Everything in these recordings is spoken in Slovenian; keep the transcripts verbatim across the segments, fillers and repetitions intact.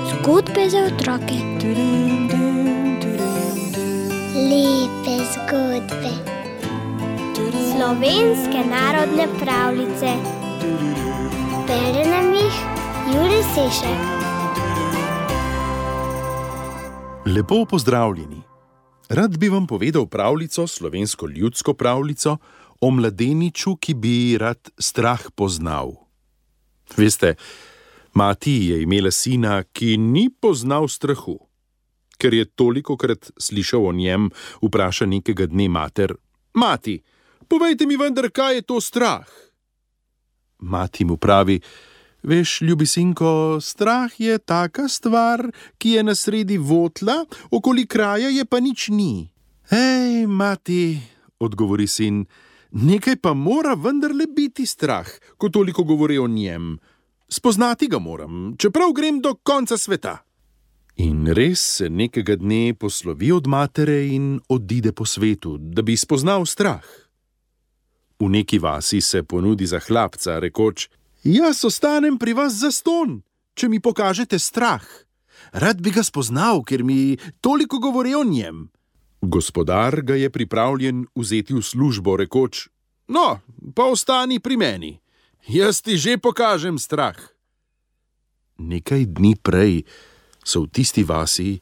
Zgodbe za otroke. Lepe zgodbe. Slovenske narodne pravljice. Bere nam jih Jure Sešek. Lepo pozdravljeni. Rad bi vam povedal pravljico, slovensko ljudsko pravljico, o mladeniču, ki bi rad strah poznal. Veste, mati je imela sina, ki ni poznal strahu. Ker je tolikokrat slišal o njem, vpraša nekega dne mater: Mati, povejte mi vendar, kaj je to strah? Mati mu pravi: Veš, ljubi sinko, strah je taka stvar, ki je na sredi votla, okoli kraja je pa nič ni. Ej, mati, odgovori sin, nekaj pa mora vendarle biti strah, ko toliko govori o njem. Spoznati ga moram, čeprav grem do konca sveta. In res se nekega dne poslovi od matere in odide po svetu, da bi spoznal strah. V neki vasi se ponudi za hlapca, rekoč: Jaz ostanem pri vas zastonj, če mi pokažete strah. Rad bi ga spoznal, ker mi toliko govori o njem. Gospodar ga je pripravljen vzeti v službo, rekoč: No, pa ostani pri meni. Jaz ti že pokažem strah. Nekaj dni prej so v tisti vasi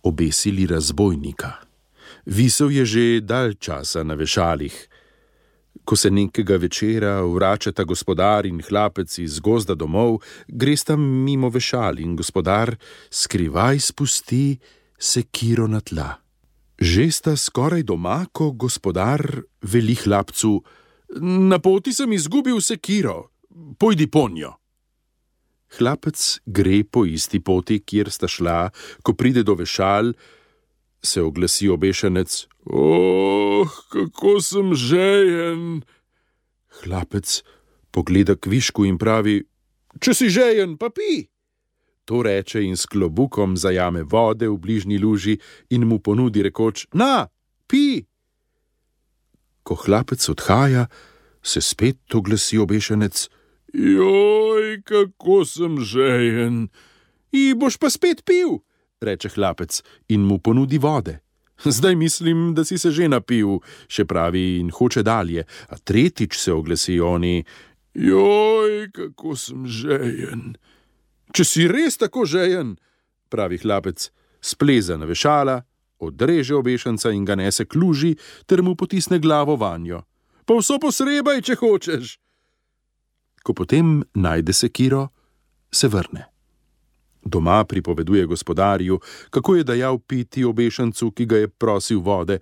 obesili razbojnika. Visel je že dalj časa na vešalih. Ko se nekega večera vračata gospodar in hlapec iz gozda domov, gresta mimo vešal in gospodar skrivaj spusti sekiro na tla. Že sta skoraj doma, ko gospodar veli hlapcu: Na poti sem izgubil sekiro, pojdi ponjo. Hlapec gre po isti poti, kjer sta šla, ko pride do vešal, se oglasi obešenec: Oh, kako sem žejen. Hlapec pogleda kvišku in pravi: Če si žejen, pa pi. To reče in s klobukom zajame vode v bližnji luži in mu ponudi, rekoč: Na, pi. Ko hlapec odhaja, se spet oglasi obešenec: Joj, kako sem žejen. I boš pa spet pil, reče hlapec in mu ponudi vode. Zdaj mislim, da si se že napil, še pravi in hoče dalje, a tretjič se oglasi oni: Joj, kako sem žejen. Če si res tako žejen, pravi hlapec, spleza na vešala, odreže obešenca in ga nese k luži ter mu potisne glavo vanjo. Pa vso posrebaj, če hočeš. Ko potem najde sekiro, se vrne. Doma pripoveduje gospodarju, kako je dajal piti obešencu, ki ga je prosil vode.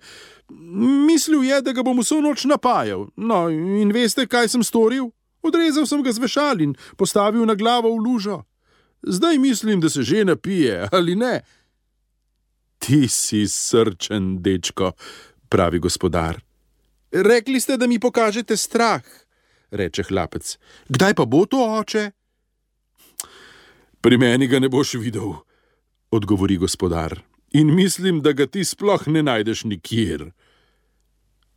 Mislil je, da ga bom vso noč napajal. No, in veste, kaj sem storil? Odrezal sem ga z vešal in postavil na glavo v lužo. Zdaj mislim, da se že napije, ali ne? Ti si srčen, dečko, pravi gospodar. Rekli ste, da mi pokažete strah, reče hlapec. Kdaj pa bo to, oče? Pri meni ga ne boš videl, odgovori gospodar, in mislim, da ga ti sploh ne najdeš nikjer.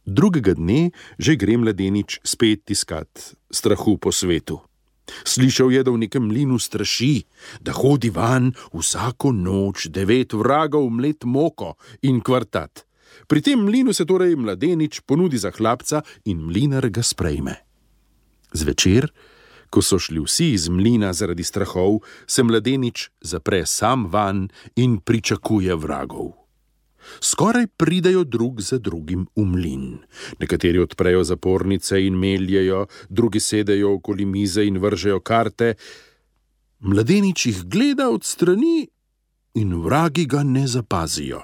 Drugega dne že gre mladenič spet iskat strahu po svetu. Slišal je, da v nekem mlinu straši, da hodi van vsako noč devet vragov mlet moko in kvartat. Pri tem mlinu se torej mladenič ponudi za hlapca in mlinar ga sprejme. Zvečer, ko so šli vsi iz mlina zaradi strahov, se mladenič zapre sam van in pričakuje vragov. Skoraj pridejo drug za drugim v mlin. Nekateri odprejo zapornice in meljejo, drugi sedejo okoli mize in vržejo karte. Mladenič jih gleda od strani in vragi ga ne zapazijo.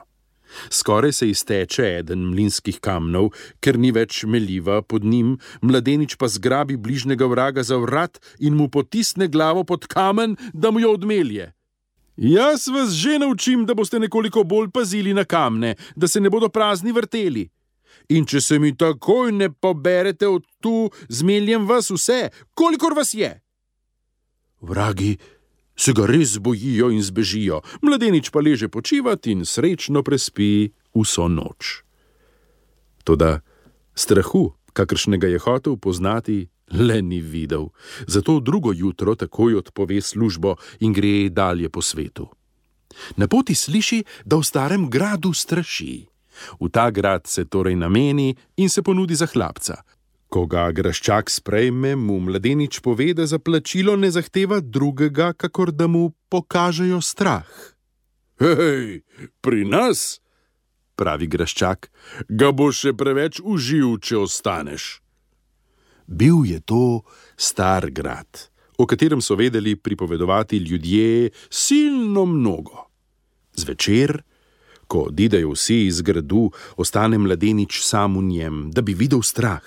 Skoraj se izteče eden mlinskih kamnov, ker ni več meljiva pod njim, mladenič pa zgrabi bližnjega vraga za vrat in mu potisne glavo pod kamen, da mu jo odmelje. Jaz vas že naučim, da boste nekoliko bolj pazili na kamne, da se ne bodo prazni vrteli. In če se mi takoj ne poberete od tu, zmeljem vas vse, kolikor vas je. Vragi se ga res bojijo in zbežijo, mladenič pa leže počivat in srečno prespi vso noč. Toda strahu, kakršnega je hotel poznati, le ni videl, zato drugo jutro takoj odpove službo in gre dalje po svetu. Na poti sliši, da v starem gradu straši. V ta grad se torej nameni in se ponudi za hlapca. Ko ga graščak sprejme, mu mladenič pove, da za plačilo ne zahteva drugega, kakor da mu pokažejo strah. Hej, pri nas, pravi graščak, ga bo še preveč uživ, če ostaneš. Bil je to star grad, o katerem so vedeli pripovedovati ljudje silno mnogo. Zvečer, ko odidejo vsi iz gradu, ostane mladenič sam v njem, da bi videl strah.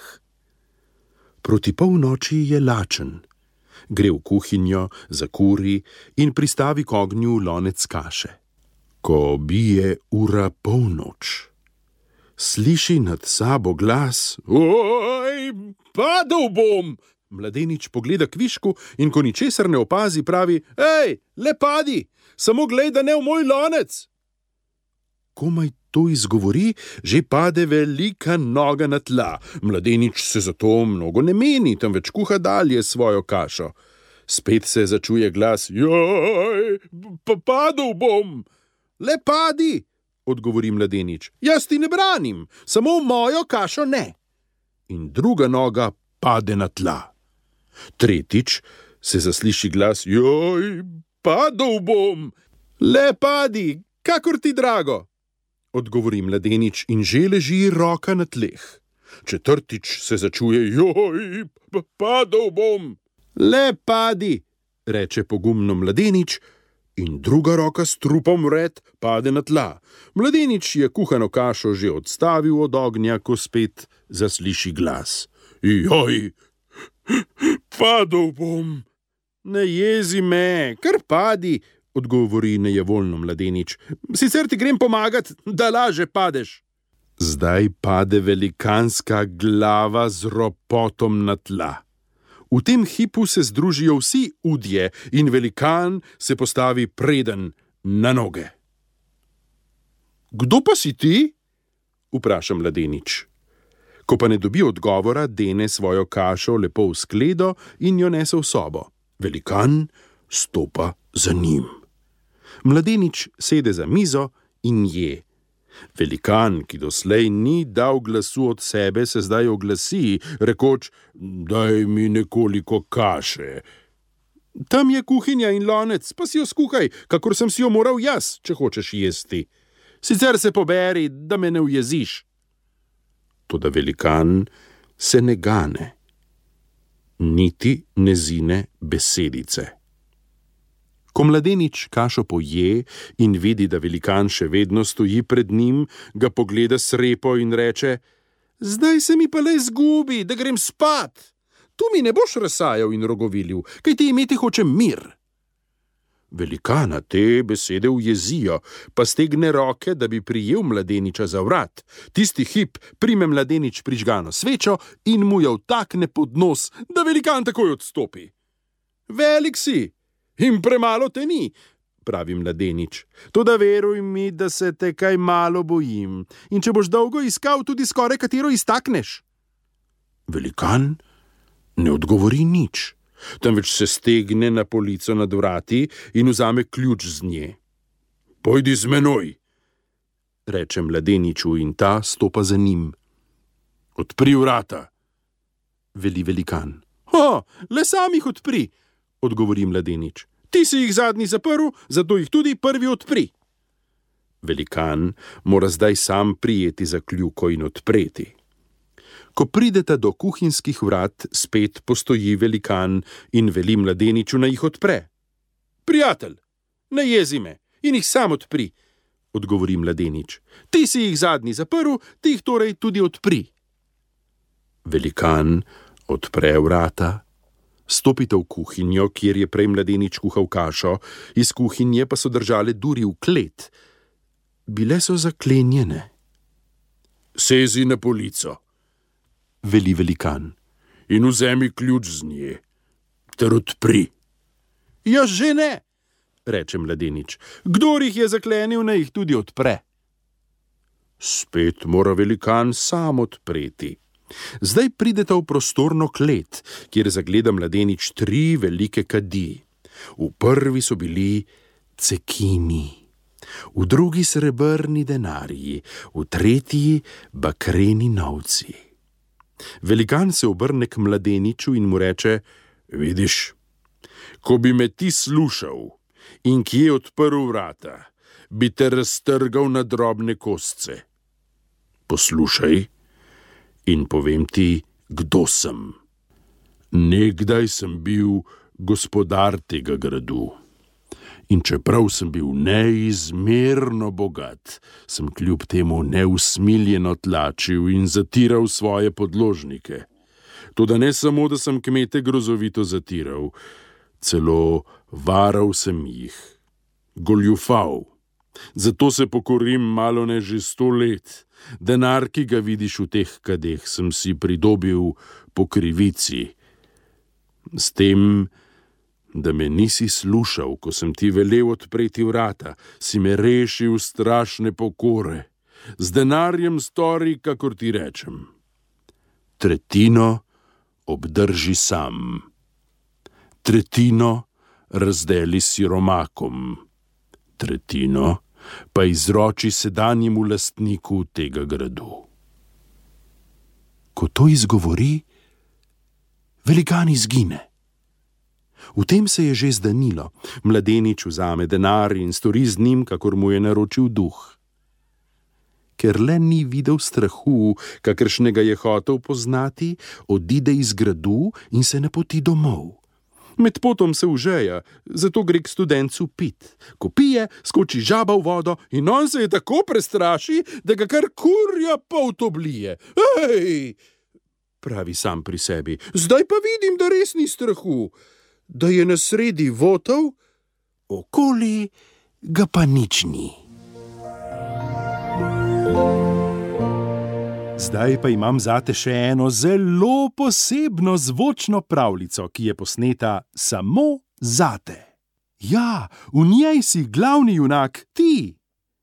Proti polnoči je lačen. Gre v kuhinjo, zakuri in pristavi k ognju lonec kaše. Ko bije ura polnoč, sliši nad sabo glas: Oj, padel bom! Mladenič pogleda kvišku in ko ničesar ne opazi, pravi: Ej, le padi, samo glej, da ne v moj lonec! Komaj to izgovori, že pade velika noga na tla. Mladenič se zato mnogo ne meni, temveč kuha dalje svojo kašo. Spet se začuje glas: Joj, pa padel bom! Le padi, odgovori mladenič. Jaz ti ne branim, samo v mojo kašo ne. In druga noga pade na tla. Tretjič se zasliši glas: Joj, padel bom! Le padi, kakor ti drago, odgovori mladenič in že leži roka na tleh. Četrtič se začuje: Joj, padel bom! Le padi, reče pogumno mladenič, in druga roka s trupom vred pade na tla. Mladenič je kuhano kašo že odstavil od ognja, ko spet zasliši glas: Joj, padel bom! Ne jezi me, kar padi, odgovori nejevoljno mladenič. Sicer ti grem pomagat, da laže padeš. Zdaj pade velikanska glava z ropotom na tla. V tem hipu se združijo vsi udje in velikan se postavi preden na noge. Kdo pa si ti? Vpraša mladenič. Ko pa ne dobi odgovora, dene svojo kašo lepo v skledo in jo nese v sobo. Velikan stopa za njim. Mladenič sede za mizo in je. Velikan, ki doslej ni dal glasu od sebe, se zdaj oglasi, rekoč: Daj mi nekoliko kaše. Tam je kuhinja in lonec, pa si jo skuhaj, kakor sem si jo moral jaz, če hočeš jesti. Sicer se poberi, da me ne ujeziš. Toda velikan se ne gane, niti ne zine besedice. Ko mladenič kašo poje in vidi, da velikan še vedno stoji pred njim, ga pogleda srepo in reče: Zdaj se mi pa le zgubi, da grem spat. Tu mi ne boš razsajal in rogovilil, kaj ti imeti hočem mir. Velikana te besede ujezijo, pa stegne roke, da bi prijel mladeniča za vrat. Tisti hip prime mladenič prižgano svečo in mu jo vtakne pod nos, da velikan takoj odstopi. Velik si in premalo te ni, pravi mladenič. Toda veruj mi, da se te kaj malo bojim, in če boš dolgo iskal, tudi skoraj katero iztakneš. Velikan ne odgovori nič, temveč se stegne na polico nad vrati in vzame ključ z nje. Pojdi z menoj, reče mladeniču in ta stopa za njim. Odpri vrata, veli velikan. Ho, le sam jih odpri, odgovori mladenič. Ti si jih zadnji zaprl, zato jih tudi prvi odpri. Velikan mora zdaj sam prijeti za kljuko in odpreti. Ko prideta do kuhinjskih vrat, spet postoji velikan in veli mladeniču, naj jih odpre. Prijatelj, ne jezi me in jih sam odpri, odgovori mladenič. Ti si jih zadnji zaprl, ti jih torej tudi odpri. Velikan odpre vrata. Stopite v kuhinjo, kjer je prej mladenič kuhal kašo, iz kuhinje pa so držale duri v klet. Bile so zaklenjene. Sezi na polico, veli velikan, in vzemi ključ z nje, ter odpri. Ja, že ne, reče mladenič. Kdor jih je zaklenil, naj jih tudi odpre. Spet mora velikan sam odpreti. Zdaj prideta v prostorno klet, kjer zagleda mladenič tri velike kadi. V prvi so bili cekini, v drugi srebrni denarji, v tretji bakreni novci. Velikan se obrne k mladeniču in mu reče: Vidiš, ko bi me ti slušal in kje odprl vrata, bi te raztrgal na drobne kosce. Poslušaj in povem ti, kdo sem. Nekdaj sem bil gospodar tega gradu. In čeprav sem bil neizmerno bogat, sem kljub temu neusmiljeno tlačil in zatiral svoje podložnike. Toda ne samo, da sem kmete grozovito zatiral, celo varal sem jih, goljufal. Zato se pokorim malo ne že sto let. Denar, ki ga vidiš v teh kadeh, sem si pridobil po krivici. S tem, da me nisi slušal, ko sem ti velel odpreti vrata, si me rešil strašne pokore. Z denarjem stori, kakor ti rečem. Tretjino obdrži sam. Tretjino razdeli siromakom. Tretjino pa izroči sedanjemu lastniku tega gradu. Ko to izgovori, velikan izgine. V tem se je že zdanilo. Mladenič vzame denar in stori z njim, kakor mu je naročil duh. Ker le ni videl strahu, kakršnega je hotel poznati, odide iz gradu in se napoti domov. Med potom se užeja, zato gre k studencu pit. Ko pije, skoči žaba v vodo in on se je tako prestraši, da ga kar kurja polt oblije. Ej, pravi sam pri sebi, zdaj pa vidim, da res ni strahu. Da je na sredi votov, okoli ga pa nič ni. Zdaj pa imam zate še eno zelo posebno zvočno pravljico, ki je posneta samo zate. Ja, v njej si glavni junak ti.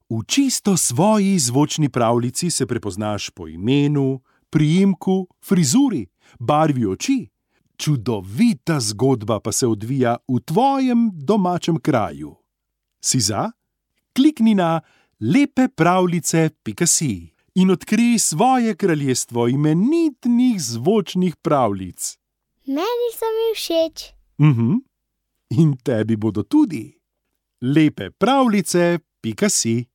V čisto svoji zvočni pravljici se prepoznaš po imenu, priimku, frizuri, barvi oči. Čudovita zgodba pa se odvija v tvojem domačem kraju. Si za? Klikni na lepepravljice pika si in odkrij svoje kraljestvo imenitnih zvočnih pravljic. Meni so mi všeč. Mhm. In tebi bodo tudi. lepepravljice pika si